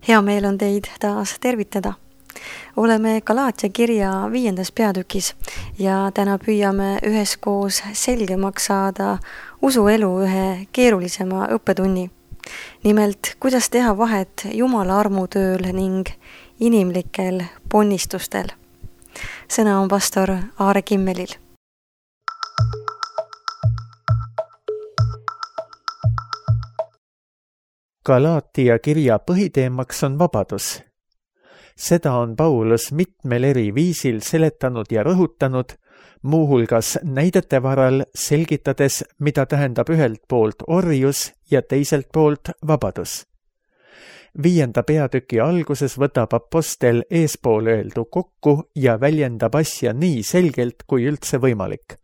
Hea meel on teid taas tervitada. Oleme Galaatia kirja 5. peatükis ja täna püüame üheskoos selgemaks saada usuelu ühe keerulisema õppetunni. Nimelt, kuidas teha vahet Jumala armutööl ning inimlikel ponnistustel. Sõna on pastor Aare Kimmelil. Galaatia kirja põhiteemaks on vabadus. Seda on Paulus mitmel eri viisil seletanud ja rõhutanud, muuhulgas näidete varal selgitades, mida tähendab ühelt poolt orjus ja teiselt poolt vabadus. 5. peatüki alguses võtab apostel eespool öeldu kokku ja väljendab asja nii selgelt kui üldse võimalik.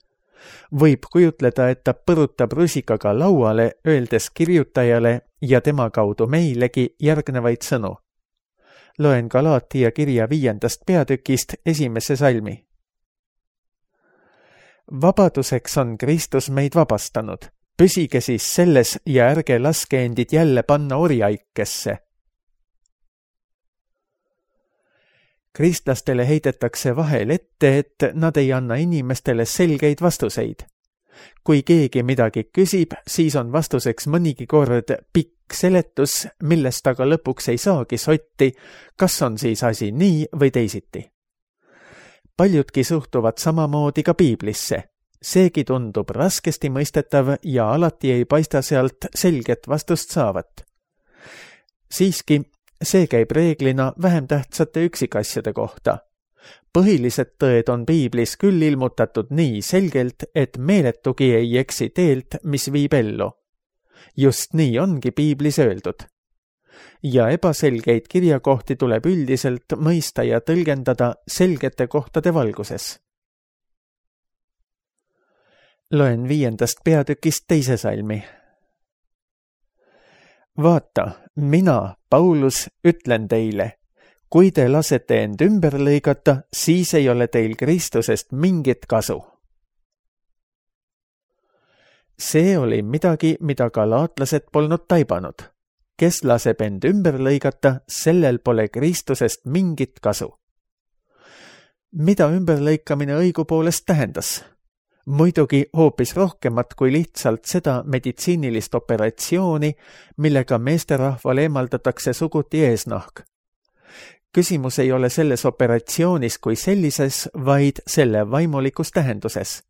Võib kujutleda, et ta põrutab rusikaga lauale, öeldes kirjutajale ja tema kaudu meilegi järgnevaid sõnu. Loen Galaatia kirja 5. peatükist 1. salmi. Vabaduseks on Kristus meid vabastanud. Püsige siis selles ja ärge laske endid jälle panna orjaikesse. Kristlastele heidetakse vahel ette, et nad ei anna inimestele selgeid vastuseid. Kui keegi midagi küsib, siis on vastuseks mõnigi kord pikk seletus, millest aga lõpuks ei saagi sotti, kas on siis asi nii või teisiti. Paljudki suhtuvad samamoodi ka piiblisse. Seegi tundub raskesti mõistetav ja alati ei paista sealt selget vastust saavat. Siiski, see käib reeglina vähem tähtsate üksikasjade kohta. Põhilised tõed on piiblis küll ilmutatud nii selgelt, et meeletugi ei eksi teelt, mis viib ellu. Just nii ongi piiblis öeldud. Ja ebaselgeid kirjakohti tuleb üldiselt mõista ja tõlgendada selgete kohtade valguses. Loen 5. peatükist 2. salmi. Vaata, mina, Paulus, ütlen teile, kui te lasete end ümber lõigata, siis ei ole teil Kristusest mingit kasu. See oli midagi, mida galaatlased polnud taibanud. Kes laseb end ümber lõigata, sellel pole Kristusest mingit kasu. Mida ümberlõikamine õigupoolest tähendas? Muidugi hoopis rohkemat kui lihtsalt seda meditsiinilist operatsiooni, millega meesterahvale eemaldatakse suguti eesnahk. Küsimus ei ole selles operatsioonis kui sellises, vaid selle vaimulikus tähenduses.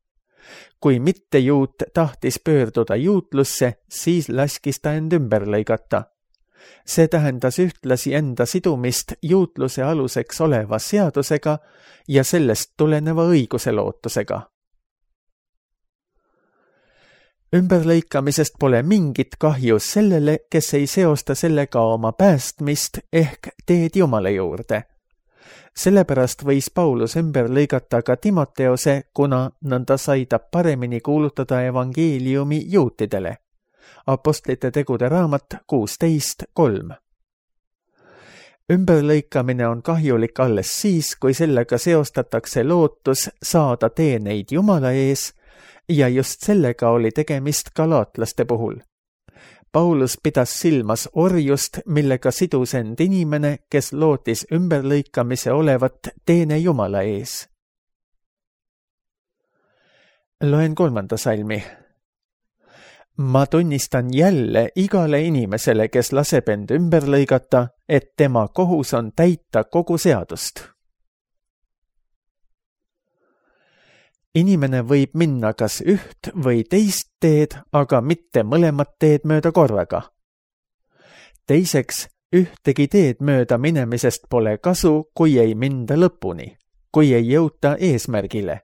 Kui mitte juut tahtis pöörduda juutlusse, siis laskis ta end ümber lõigata. See tähendas ühtlasi enda sidumist juutluse aluseks oleva seadusega ja sellest tuleneva õiguse lootusega. Ümberlõikamisest pole mingit kahju sellele, kes ei seosta sellega oma päästmist ehk teed Jumala juurde. Sellepärast võis Paulus ümber lõigata ka Timoteose, kuna nõnda sai ta paremini kuulutada evangeeliumi juutidele. Apostlite tegude raamat 16.3. Ümberlõikamine on kahjulik alles siis, kui sellega seostatakse lootus saada teeneid Jumala ees, ja just sellega oli tegemist galaatlaste puhul. Paulus pidas silmas orjust, millega sidus end inimene, kes lootis ümberlõikamise olevat teene Jumala ees. Loen 3. salmi. Ma tunnistan jälle igale inimesele, kes laseb end ümber lõigata, et tema kohus on täita kogu seadust. Inimene võib minna kas üht või teist teed, aga mitte mõlemat teed mööda korraga. Teiseks, ühtegi teed mööda minemisest pole kasu, kui ei minda lõpuni, kui ei jõuta eesmärgile.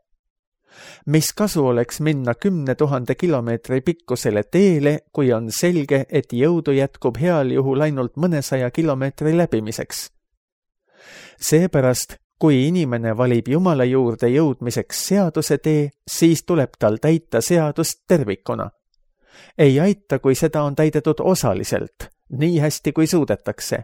Mis kasu oleks minna 10 000 kilomeetri pikkusele teele, kui on selge, et jõudu jätkub heal juhul ainult mõnesaja kilomeetri läbimiseks? Seepärast, kui inimene valib Jumala juurde jõudmiseks seaduse tee, siis tuleb tal täita seadust tervikuna. Ei aita, kui seda on täidetud osaliselt, nii hästi kui suudetakse.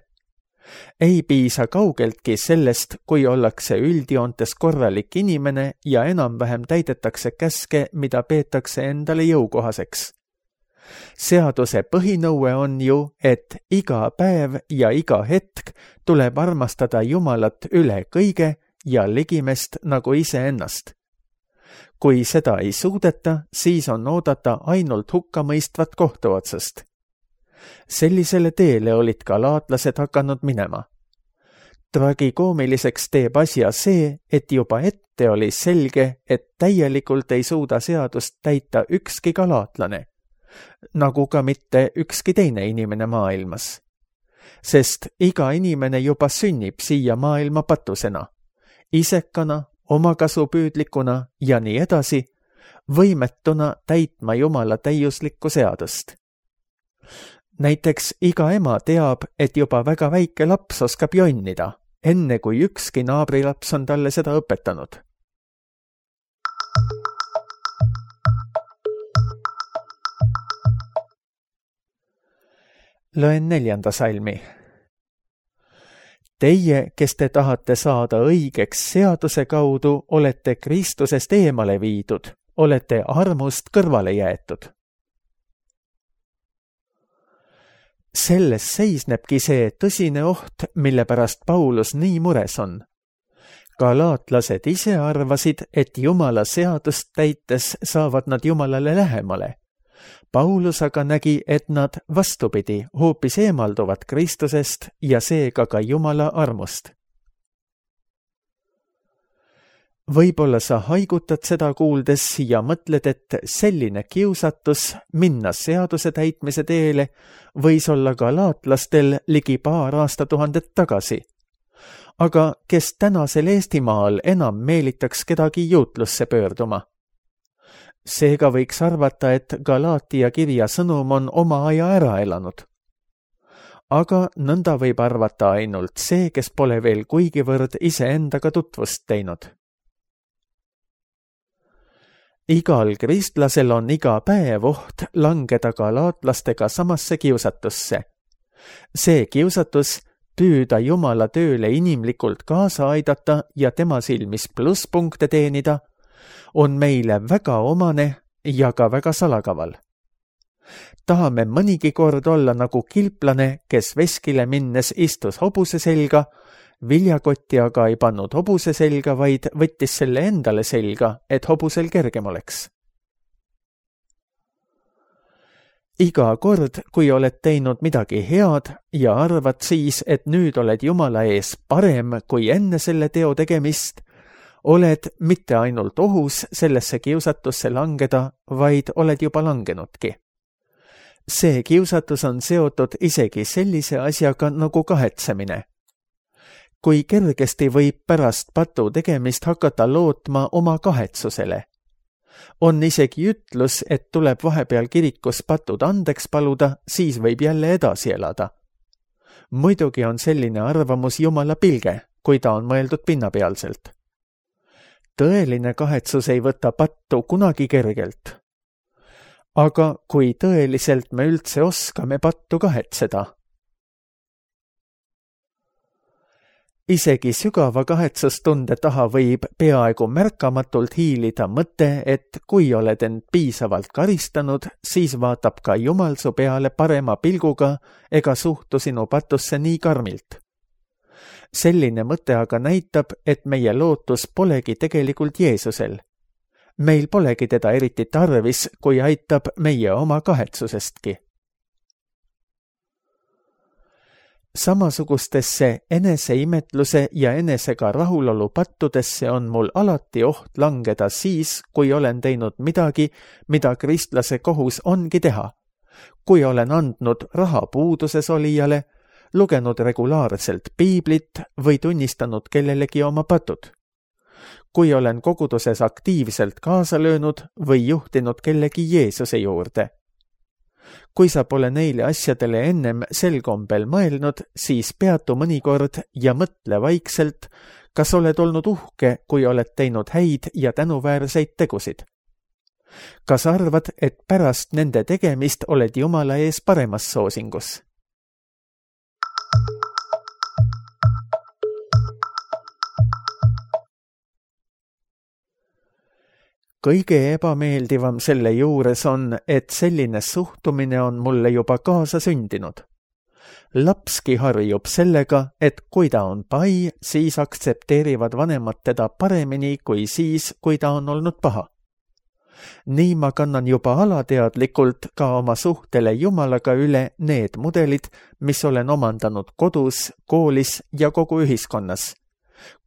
Ei piisa kaugeltki sellest, kui ollakse üldjoontes korralik inimene ja enam-vähem täidetakse käske, mida peetakse endale jõukohaseks. Seaduse põhinõue on ju, et iga päev ja iga hetk tuleb armastada Jumalat üle kõige ja ligimest nagu iseennast. Kui seda ei suudeta, siis on oodata ainult hukkamõistvat kohtuotsust. Sellisele teele olid galaatlased hakanud minema. Tragikoomiliseks teeb asja see, et juba ette oli selge, et täielikult ei suuda seadust täita ükski galaatlane, nagu ka mitte ükski teine inimene maailmas. Sest iga inimene juba sünnib siia maailma patusena, isekana, omakasupüüdlikuna ja nii edasi, võimetuna täitma Jumala täiuslikku seadust. Näiteks iga ema teab, et juba väga väike laps oskab jonnida, enne kui ükski naabrilaps on talle seda õpetanud. Loen 4. salmi. Teie, kes te tahate saada õigeks seaduse kaudu, olete Kristusest eemale viidud, olete armust kõrvale jäetud. Selles seisnebki see tõsine oht, mille pärast Paulus nii mures on. Galaatlased ise arvasid, et Jumala seadust täites saavad nad Jumalale lähemale. Paulus aga nägi, et nad vastupidi hoopis eemalduvad Kristusest ja seega ka Jumala armust. Võib-olla sa haigutad seda kuuldes ja mõtled, et selline kiusatus minna seaduse täitmise teele võis olla galaatlastel ligi paar aastatuhandet tagasi. Aga kes tänasel Eestimaal enam meelitaks kedagi juutlusse pöörduma? Seega võiks arvata, et Galaatia kirja sõnum on oma aja ära elanud. Aga nõnda võib arvata ainult see, kes pole veel kuigivõrd iseendaga tutvust teinud. Igal kristlasel on iga päev oht langeda galaatlastega samasse kiusatusse. See kiusatus püüda Jumala tööle inimlikult kaasa aidata ja tema silmis plusspunkte teenida on meile väga omane ja ka väga salakaval. Tahame mõnigi kord olla nagu kilplane, kes veskile minnes istus hobuse selga, viljakotti aga ei pannud hobuse selga, vaid võttis selle endale selga, et hobusel kergem oleks. Iga kord, kui oled teinud midagi head ja arvad siis, et nüüd oled Jumala ees parem kui enne selle teo tegemist, oled mitte ainult ohus sellesse kiusatusse langeda, vaid oled juba langenudki. See kiusatus on seotud isegi sellise asjaga nagu kahetsemine. Kui kergesti võib pärast patu tegemist hakata lootma oma kahetsusele. On isegi ütlus, et tuleb vahepeal kirikus patud andeks paluda, siis võib jälle edasi elada. Muidugi on selline arvamus Jumala pilge, kui ta on mõeldud pinnapealselt. Tõeline kahetsus ei võta pattu kunagi kergelt. Aga kui tõeliselt me üldse oskame pattu kahetseda? Isegi sügava kahetsustunde taha võib peaaegu märkamatult hiilida mõte, et kui oled end piisavalt karistanud, siis vaatab ka Jumal su peale parema pilguga ega suhtu sinu patusse nii karmilt. Selline mõte aga näitab, et meie lootus polegi tegelikult Jeesusel. Meil polegi teda eriti tarvis, kui aitab meie oma kahetsusestki. Samasugustesse eneseimetluse ja enesega rahulolu pattudesse on mul alati oht langeda siis, kui olen teinud midagi, mida kristlase kohus ongi teha. Kui olen andnud raha puuduses olijale, lugenud regulaarselt piiblit või tunnistanud kellelegi oma patud. Kui olen koguduses aktiivselt kaasa löönud või juhtinud kellegi Jeesuse juurde. Kui sa pole neile asjadele ennem sel kombel mõelnud, siis peatu mõnikord ja mõtle vaikselt, kas oled olnud uhke, kui oled teinud häid ja tänuväärseid tegusid. Kas arvad, et pärast nende tegemist oled Jumala ees paremas soosingus? kõige ebameeldivam selle juures on, et selline suhtumine on mulle juba kaasa sündinud. Lapski harjub sellega, et kui ta on pai, siis aktsepteerivad vanemad teda paremini kui siis, kui ta on olnud paha. Nii ma kannan juba alateadlikult ka oma suhtele Jumalaga üle need mudelid, mis olen omandanud kodus, koolis ja kogu ühiskonnas.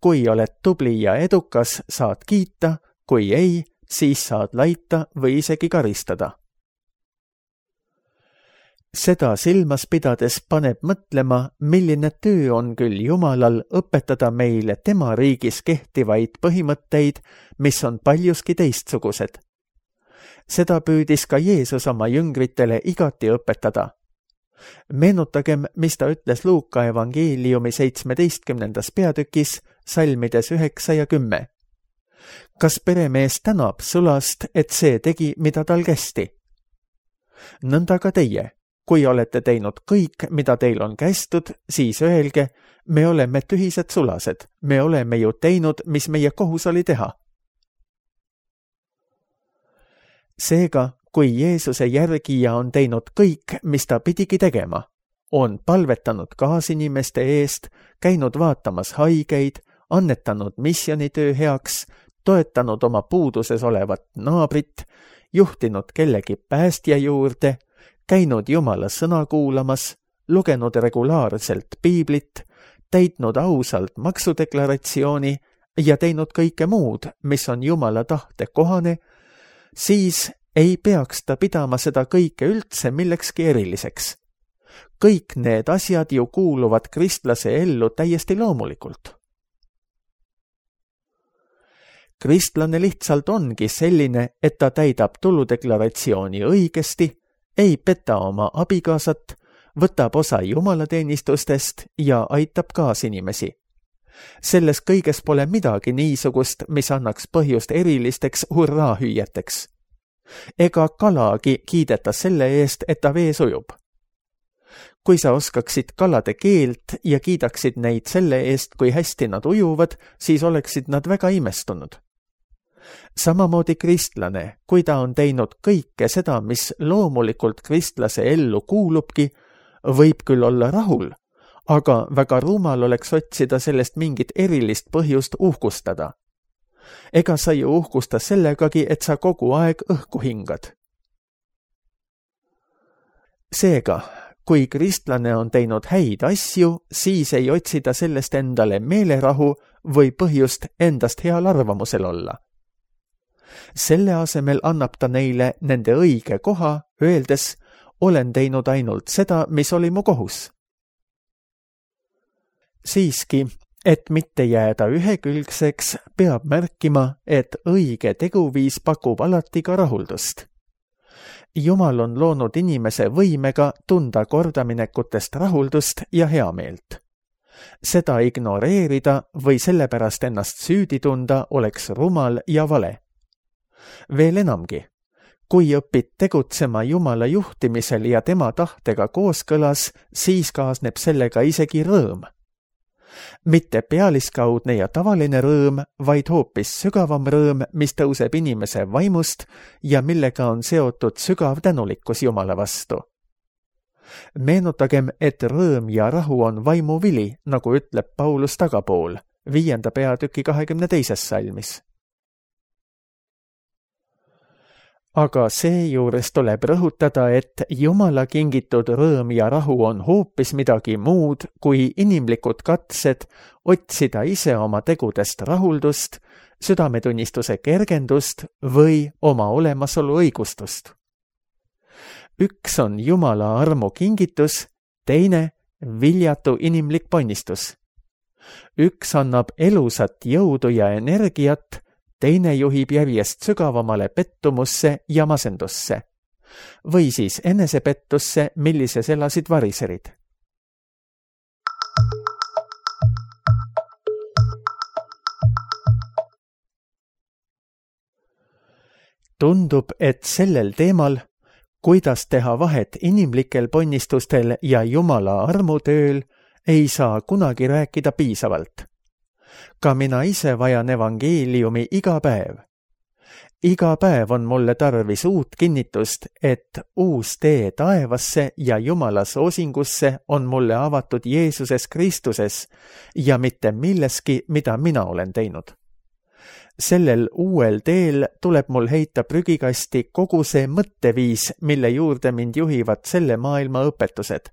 Kui oled tubli ja edukas, saad kiita, kui ei, siis saad laita või isegi karistada. Seda silmas pidades paneb mõtlema, milline töö on küll Jumalal õpetada meile tema riigis kehtivaid põhimõtteid, mis on paljuski teistsugused. Seda püüdis ka Jeesus oma jüngritele igati õpetada. Meenutagem, mis ta ütles Luuka evangeeliumi 17. peatükis, salmides 9 ja 10. Kas peremees tänab sulast, et see tegi, mida tal kästi? Nõnda ka teie. Kui olete teinud kõik, mida teil on kästud, siis öelge, me oleme tühised sulased, me oleme ju teinud, mis meie kohus oli teha. Seega, kui Jeesuse järgija on teinud kõik, mis ta pidigi tegema, on palvetanud kaasinimeste eest, käinud vaatamas haigeid, annetanud missionitöö heaks, toetanud oma puuduses olevat naabrit, juhtinud kellegi päästja juurde, käinud Jumala sõna kuulamas, lugenud regulaarselt piiblit, täitnud ausalt maksudeklaratsiooni ja teinud kõike muud, mis on Jumala tahte kohane, siis ei peaks ta pidama seda kõike üldse millekski eriliseks. Kõik need asjad ju kuuluvad kristlase ellu täiesti loomulikult. Kristlane lihtsalt ongi selline, et ta täidab tuludeklaratsiooni õigesti, ei peta oma abikaasat, võtab osa jumalateenistustest ja aitab kaasinimesi. Selles kõiges pole midagi niisugust, mis annaks põhjust erilisteks hurraahüüeteks. Ega kalagi kiideta selle eest, et ta vees ujub. Kui sa oskaksid kalade keelt ja kiidaksid neid selle eest, kui hästi nad ujuvad, siis oleksid nad väga imestunud. Samamoodi kristlane, kui ta on teinud kõike seda, mis loomulikult kristlase ellu kuulubki, võib küll olla rahul, aga väga rumal oleks otsida sellest mingit erilist põhjust uhkustada. Ega sa ju uhkusta sellegagi, et sa kogu aeg õhku hingad. Seega, kui kristlane on teinud häid asju, siis ei otsida sellest endale meelerahu või põhjust endast heal arvamusel olla. Selle asemel annab ta neile nende õige koha, öeldes, olen teinud ainult seda, mis oli mu kohus. Siiski, et mitte jääda ühekülgseks, peab märkima, et õige teguviis pakub alati ka rahuldust. Jumal on loonud inimese võimega tunda kordaminekutest rahuldust ja heameelt. Seda ignoreerida või sellepärast ennast süüdi tunda oleks rumal ja vale. Veel enamgi, kui õpid tegutsema Jumala juhtimisel ja tema tahtega kooskõlas, siis kaasneb sellega isegi rõõm. Mitte pealiskaudne ja tavaline rõõm, vaid hoopis sügavam rõõm, mis tõuseb inimese vaimust ja millega on seotud sügav tänulikkus Jumala vastu. Meenutagem, et rõõm ja rahu on vaimu vili, nagu ütleb Paulus tagapool, 5. peatüki 22. salmis. Aga seejuures tuleb rõhutada, et Jumala kingitud rõõm ja rahu on hoopis midagi muud kui inimlikud katsed otsida ise oma tegudest rahuldust, südametunnistuse kergendust või oma olemasolu õigustust. Üks on Jumala armu kingitus, teine viljatu inimlik ponnistus. Üks annab elusat jõudu ja energiat, teine juhib järjest sügavamale pettumusse ja masendusse. Või siis enesepettusse, millises elasid variserid. Tundub, et sellel teemal, kuidas teha vahet inimlikel ponnistustel ja Jumala armutööl, ei saa kunagi rääkida piisavalt. Ka mina ise vajan evangeeliumi iga päev. Iga päev on mulle tarvis uut kinnitust, et uus tee taevasse ja Jumala soosingusse on mulle avatud Jeesuses Kristuses ja mitte milleski, mida mina olen teinud. Sellel uuel teel tuleb mul heita prügikasti kogu see mõtteviis, mille juurde mind juhivad selle maailma õpetused.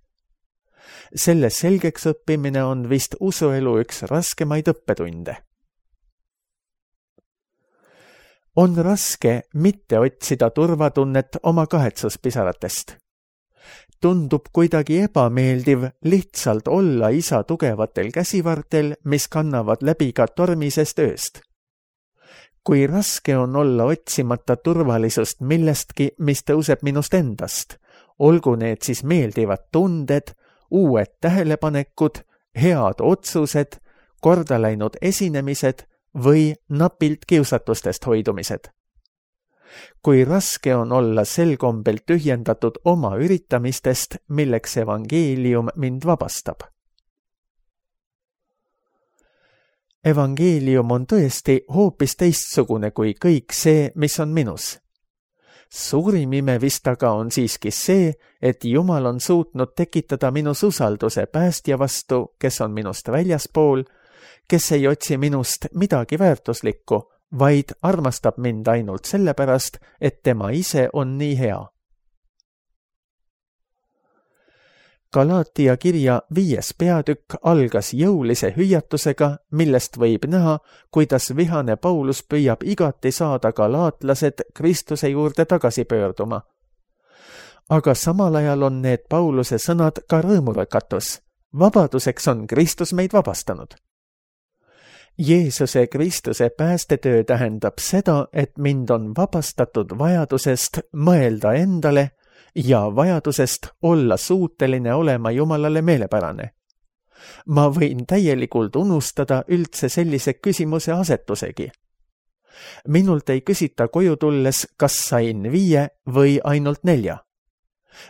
Selle selgeks õppimine on vist usuelu üks raskemaid õppetunde. On raske mitte otsida turvatunnet oma kahetsuspisaratest. Tundub kuidagi ebameeldiv lihtsalt olla isa tugevatel käsivartel, mis kannavad läbi ka tormisest ööst. Kui raske on olla otsimata turvalisust millestki, mis tõuseb minust endast, olgu need siis meeldivad tunded, uued tähelepanekud, head otsused, kordaläinud esinemised või napilt kiusatustest hoidumised. Kui raske on olla sel kombel tühjendatud oma üritamistest, milleks evangeelium mind vabastab. Evangeelium on tõesti hoopis teistsugune kui kõik see, mis on minus. Suurim ime vist aga on siiski see, et Jumal on suutnud tekitada minus usalduse päästja vastu, kes on minust väljaspool, kes ei otsi minust midagi väärtuslikku, vaid armastab mind ainult sellepärast, et tema ise on nii hea. Galaatia kirja 5. peatükk algas jõulise hüüatusega, millest võib näha, kuidas vihane Paulus püüab igati saada galaatlased Kristuse juurde tagasi pöörduma. Aga samal ajal on need Pauluse sõnad ka rõõmurõkatus. Vabaduseks on Kristus meid vabastanud. Jeesuse Kristuse päästetöö tähendab seda, et mind on vabastatud vajadusest mõelda endale ja vajadusest olla suuteline olema Jumalale meelepärane. Ma võin täielikult unustada üldse sellise küsimuse asetusegi. Minult ei küsita koju tulles, kas sain 5 või ainult 4.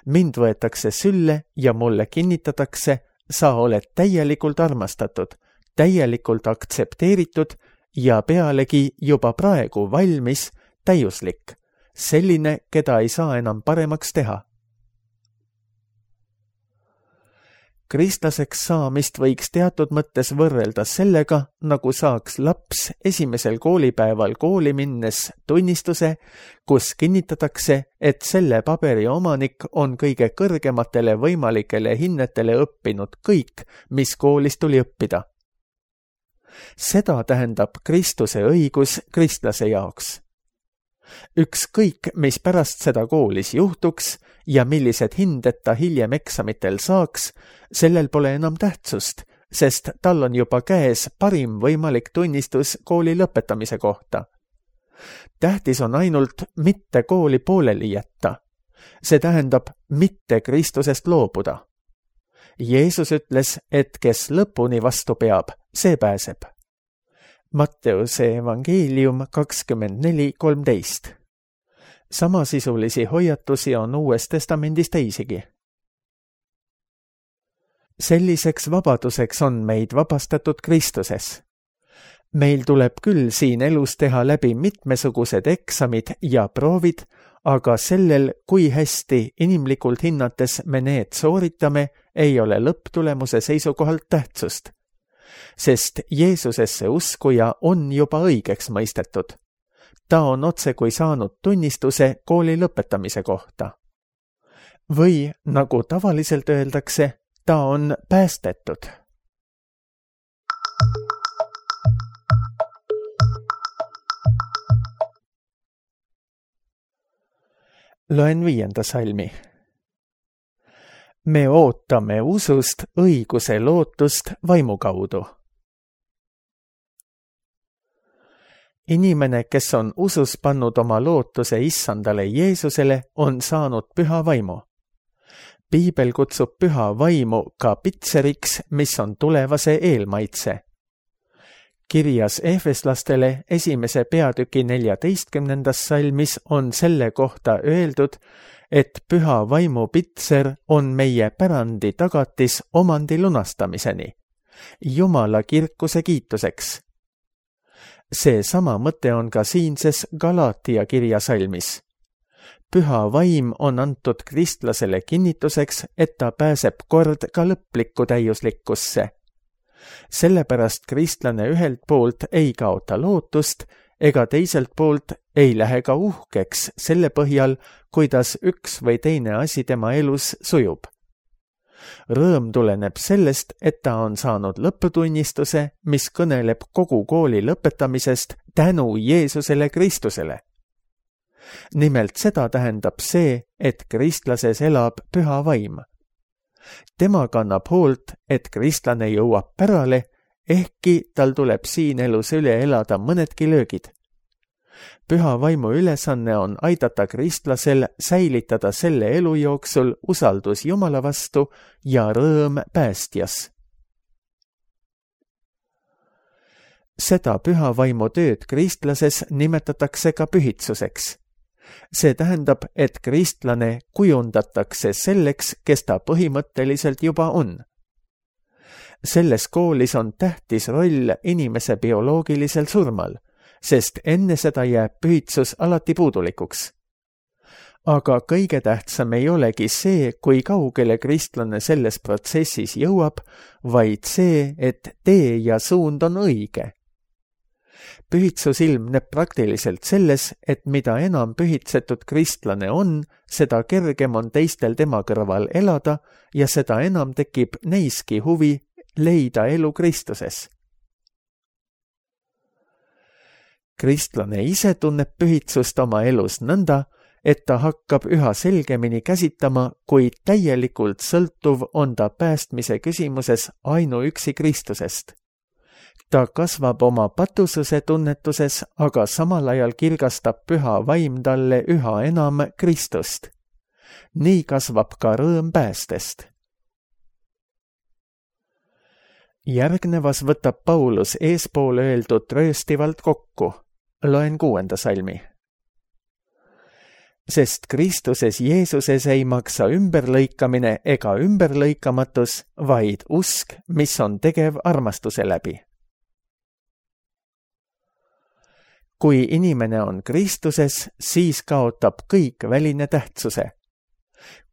Mind võetakse sülle ja mulle kinnitatakse, sa oled täielikult armastatud, täielikult aktsepteeritud ja pealegi juba praegu valmis, täiuslik, selline, keda ei saa enam paremaks teha. Kristlaseks saamist võiks teatud mõttes võrrelda sellega, nagu saaks laps esimesel koolipäeval kooli minnes tunnistuse, kus kinnitatakse, et selle paberi omanik on kõige kõrgematele võimalikele hinnetele õppinud kõik, mis koolis tuli õppida. Seda tähendab Kristuse õigus kristlase jaoks. Ükskõik, mis pärast seda koolis juhtuks ja millised hinded ta hiljem eksamitel saaks, sellel pole enam tähtsust, sest tal on juba käes parim võimalik tunnistus kooli lõpetamise kohta. Tähtis on ainult mitte kooli pooleli jätta. See tähendab mitte Kristusest loobuda. Jeesus ütles, et kes lõpuni vastu peab, see pääseb. Matteuse evangeelium 24:13. Samasisulisi hoiatusi on Uues Testamendis teisigi. Selliseks vabaduseks on meid vabastatud Kristuses. Meil tuleb küll siin elus teha läbi mitmesugused eksamid ja proovid, aga sellel, kui hästi inimlikult hinnates me need sooritame, ei ole lõpptulemuse seisukohalt tähtsust. Sest Jeesusesse uskuja on juba õigeks mõistetud. Ta on otsekui saanud tunnistuse kooli lõpetamise kohta. Või, nagu tavaliselt öeldakse, ta on päästetud. Loen 5. salmi. Me ootame usust õiguse lootust vaimu kaudu. Inimene, kes on usus pannud oma lootuse issandale Jeesusele, on saanud püha vaimu. Piibel kutsub püha vaimu ka pitseriks, mis on tulevase eelmaitse. Kirjas Efeslastele 1. peatüki 14. salmis on selle kohta öeldud, et püha vaimu pitser on meie pärandi tagatis omandi lunastamiseni, Jumala kirkuse kiituseks. See sama mõte on ka siinses Galaatia kirja salmis. Püha vaim on antud kristlasele kinnituseks, et ta pääseb kord ka lõplikku täiuslikkusse. Sellepärast kristlane ühelt poolt ei kaota lootust ega teiselt poolt ei lähe ka uhkeks selle põhjal, kuidas üks või teine asi tema elus sujub. Rõõm tuleneb sellest, et ta on saanud lõputunnistuse, mis kõneleb kogu kooli lõpetamisest tänu Jeesusele Kristusele. Nimelt seda tähendab see, et kristlases elab püha vaim. Tema kannab hoolt, et kristlane jõuab pärale, ehkki tal tuleb siin elus üle elada mõnedki löögid. Püha vaimu ülesanne on aidata kristlasel säilitada selle elu jooksul usaldus Jumala vastu ja rõõm päästjas. Seda püha vaimu tööd kristlases nimetatakse ka pühitsuseks. See tähendab, et kristlane kujundatakse selleks, kes ta põhimõtteliselt juba on. Selles koolis on tähtis roll inimese bioloogilisel surmal, sest enne seda jääb pühitsus alati puudulikuks. Aga kõige tähtsam ei olegi see, kui kaugele kristlane selles protsessis jõuab, vaid see, et tee ja suund on õige. Pühitsus ilmneb praktiliselt selles, et mida enam pühitsetud kristlane on, seda kergem on teistel tema kõrval elada ja seda enam tekib neiski huvi leida elu Kristuses. Kristlane ise tunneb pühitsust oma elus nõnda, et ta hakkab üha selgemini käsitama, kui täielikult sõltuv on ta päästmise küsimuses ainuüksi Kristusest. Ta kasvab oma patususe tunnetuses, aga samal ajal kirgastab püha vaim talle üha enam Kristust. Nii kasvab ka rõõm päästest. Järgnevas võtab Paulus eespool öeldud rööstivalt kokku. Loen 6. salmi. Sest Kristuses Jeesuses ei maksa ümberlõikamine ega ümberlõikamatus, vaid usk, mis on tegev armastuse läbi. Kui inimene on Kristuses, siis kaotab kõik väline tähtsuse.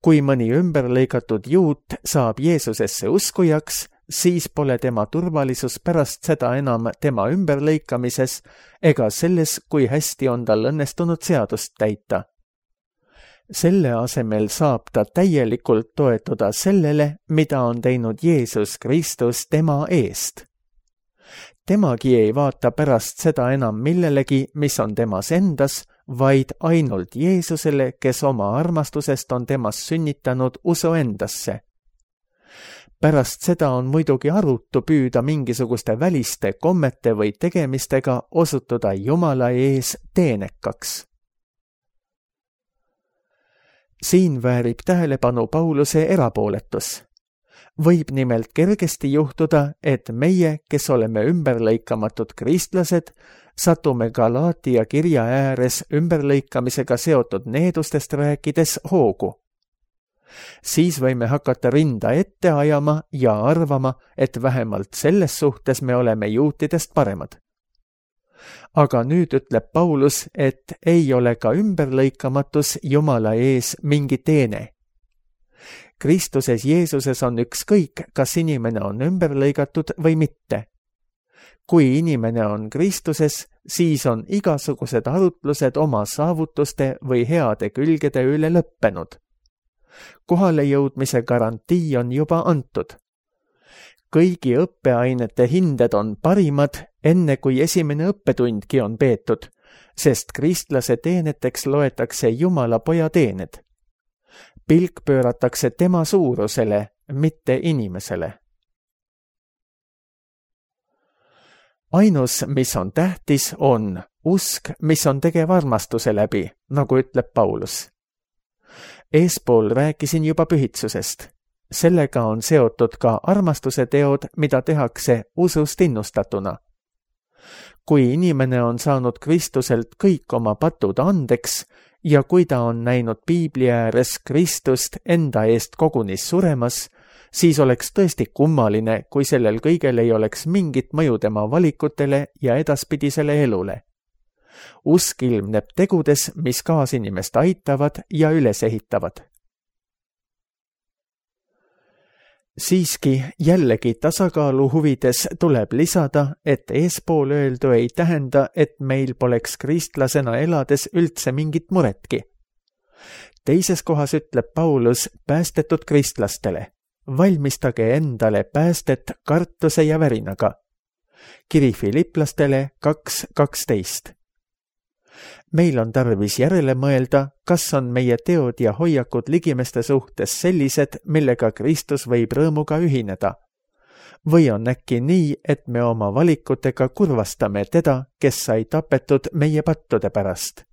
Kui mõni ümberlõikatud juut saab Jeesusesse uskujaks, siis pole tema turvalisus pärast seda enam tema ümberlõikamises ega selles, kui hästi on tal õnnestunud seadust täita. Selle asemel saab ta täielikult toetuda sellele, mida on teinud Jeesus Kristus tema eest. Temagi ei vaata pärast seda enam millelegi, mis on temas endas, vaid ainult Jeesusele, kes oma armastusest on temas sünnitanud usu endasse. Pärast seda on muidugi arutu püüda mingisuguste väliste kommete või tegemistega osutuda Jumala ees teenekaks. Siin väärib tähelepanu Pauluse erapooletus. Võib nimelt kergesti juhtuda, et meie, kes oleme ümberlõikamatud kristlased, satume Galaatia kirja ääres ümberlõikamisega seotud needustest rääkides hoogu. Siis võime hakata rinda ette ajama ja arvama, et vähemalt selles suhtes me oleme juutidest paremad. Aga nüüd ütleb Paulus, et ei ole ka ümberlõikamatus Jumala ees mingi teene. Kristuses Jeesuses on ükskõik, kas inimene on ümberlõigatud või mitte. Kui inimene on Kristuses, siis on igasugused arutlused oma saavutuste või heade külgede üle lõppenud. Kohale jõudmise garantii on juba antud. Kõigi õppeainete hinded on parimad, enne kui esimene õppetundki on peetud, sest kristlase teeneteks loetakse Jumala poja teened. Pilk pööratakse tema suurusele, mitte inimesele. Ainus, mis on tähtis, on usk, mis on tegev armastuse läbi, nagu ütleb Paulus. Eespool rääkisin juba pühitsusest. Sellega on seotud ka armastuse teod, mida tehakse usust innustatuna. Kui inimene on saanud Kristuselt kõik oma patud andeks ja kui ta on näinud Piibli ääres Kristust enda eest kogunis suremas, Siis oleks tõesti kummaline, kui sellel kõigel ei oleks mingit mõju tema valikutele ja edaspidisele elule. Usk ilmneb tegudes, mis kaasinimest aitavad ja üles ehitavad. Siiski jällegi tasakaalu huvides tuleb lisada, et eespool öeldu ei tähenda, et meil poleks kristlasena elades üldse mingit muretki. Teises kohas ütleb Paulus päästetud kristlastele: valmistage endale päästet kartuse ja värinaga. Kiri Filiplastele 2:12. Meil on tarvis järele mõelda, kas on meie teod ja hoiakud ligimeste suhtes sellised, millega Kristus võib rõõmuga ühineda. Või on äkki nii, et me oma valikutega kurvastame teda, kes sai tapetud meie pattude pärast.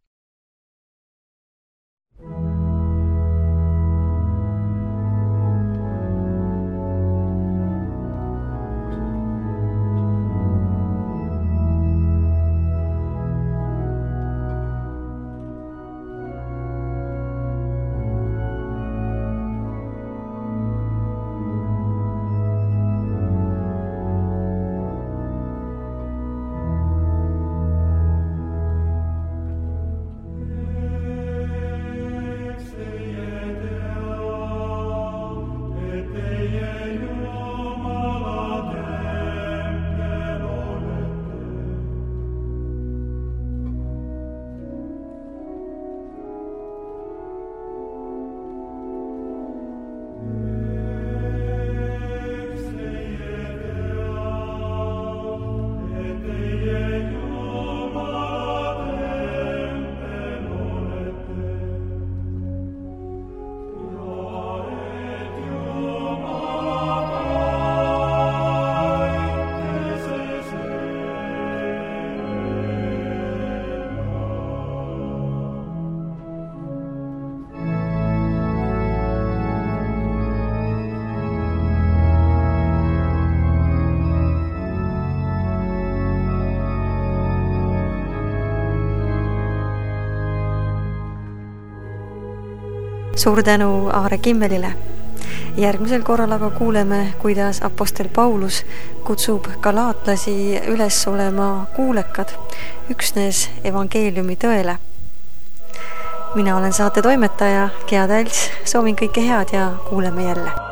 Suur tänu Aare Kimmelile. Järgmisel korral aga kuuleme, kuidas apostel Paulus kutsub galaatlasi üles olema kuulekad üksnes evangeeliumi tõele. Mina olen saate toimetaja Gea Tals, soovin kõike head ja kuuleme jälle.